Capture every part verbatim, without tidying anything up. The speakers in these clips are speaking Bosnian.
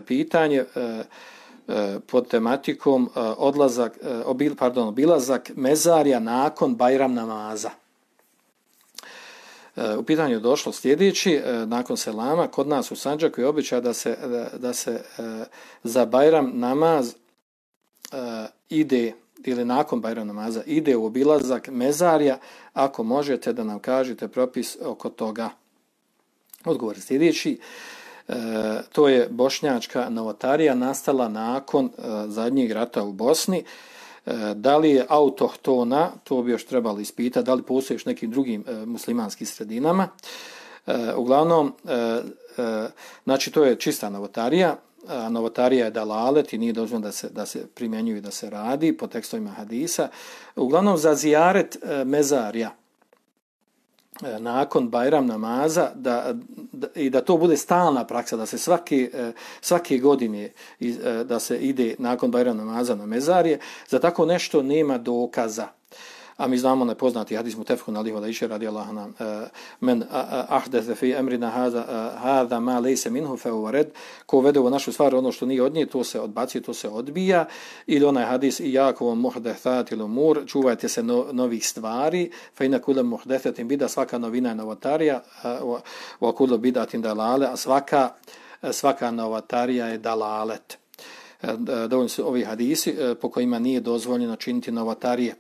pitanje pod tematikom odlazak, obil, pardon, obilazak mezarja nakon Bajram namaza. U pitanju je došlo sljedeći, nakon selama, kod nas u Sandžaku je običaj da se, da, da se za Bajram namaz ide, ili nakon Bajram namaza, ide u obilazak mezarja, ako možete da nam kažete propis oko toga. Odgovor je sljedeći. E, to je bošnjačka novotarija nastala nakon e, zadnjeg rata u Bosni. E, da li je autohtona, to bi još trebalo ispitati, da li postoji još nekim drugim e, muslimanskim sredinama. E, uglavnom, e, e, znači to je čista novotarija. A novotarija je dalalet i nije dozvoljeno da se, da se primjenjuje, da se radi po tekstovima hadisa. Uglavnom za zijaret e, mezarja nakon Bajram namaza da, da, i da to bude stalna praksa, da se svake, svake godine da se ide nakon Bajram namaza na mezarje, za tako nešto nema dokaza. A mi znamo nepoznati hadis mutefekun alejhi ve Aisha radijallahu anha, men ahdatha fi amrina hada hada ma laysa minhu fa huwa rad, ko vede u našu stvar ono što nije od nje, to se odbacuje, to se odbija. Ili onaj hadis iyakum muhdathatil umur, čuvajte se no, novih stvari, fa inna kullu muhdathatin bid'a, svaka novina je novotarija, wa kullu bid'atin dalale, a svaka svaka novotarija je dalalet. Dovoljno su ovi hadisi po kojima nije dozvoljeno činiti novotarije.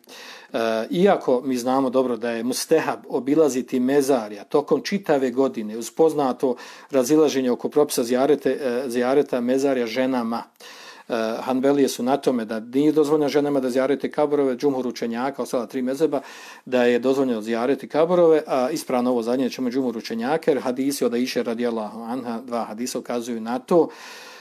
Iako mi znamo dobro da je mustehab obilaziti mezarja tokom čitave godine uz poznato razilaženje oko propisa zijarete, zijareta mezarja ženama. Hanbelije su na tome da nije dozvoljeno ženama da zijarete kaborove, džumhur učenjaka, ostala tri mezheba, da je dozvoljeno zijareti kaborove, a ispravno ovo zadnje ćemo džumhur učenjaka, jer hadisi od Aiše radijallahu anha, dva hadisa ukazuju na to,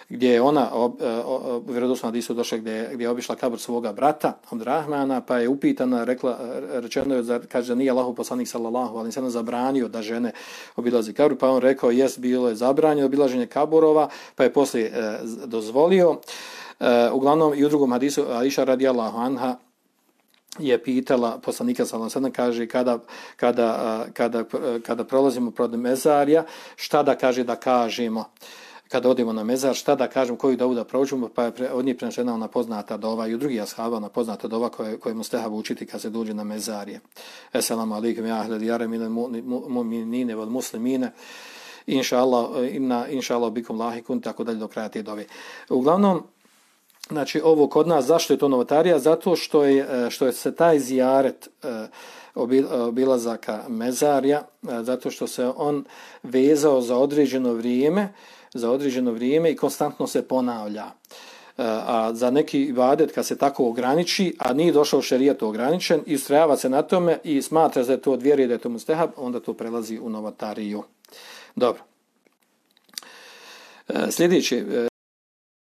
gdje je ona u vjerodostojnom hadisu došla gdje, gdje je obišla kabur svoga brata Abdurrahmana, pa je upitana, rekla, rečeno je, kaže, nije Allahov poslanik sallallahu alejhi ve sellem zabranio da žene obilazi kabur, pa on rekao, jest, bilo je zabranjeno obilaženje kaburova, pa je poslije e, dozvolio. E, uglavnom i u drugom hadisu Aiša radijallahu anha je pitala poslanika sallallahu alejhi ve sellem, kaže, kada, kada, kada, kada prolazimo pored mezarja, šta da kaže da kažemo kada odemo na mezar, šta da kažem, koju dovu da proučimo, pa je od njih prenešena ona poznata dova i u drugih ashaba ona poznata dova koje, koje mustehab učiti kad se dođe na mezarje. Esselamu alaikum ja ahle diyare mine mu'minine wal muslimine, inša Allah, inna, inša Allah bikum lahikun, tako dalje do kraja te dove. Uglavnom, znači ovo kod nas, zašto je to novotarija? Zato što je, što je se taj zijaret obilazaka mezarja, zato što se on vezao za određeno vrijeme, za određeno vrijeme i konstantno se ponavlja. A za neki ibadet kad se tako ograniči, a nije došao šerijat ograničen i ustrajava se na tome i smatra da je to od vjere i da je to mustehab, onda to prelazi u novotariju. Dobro. Sljedeće,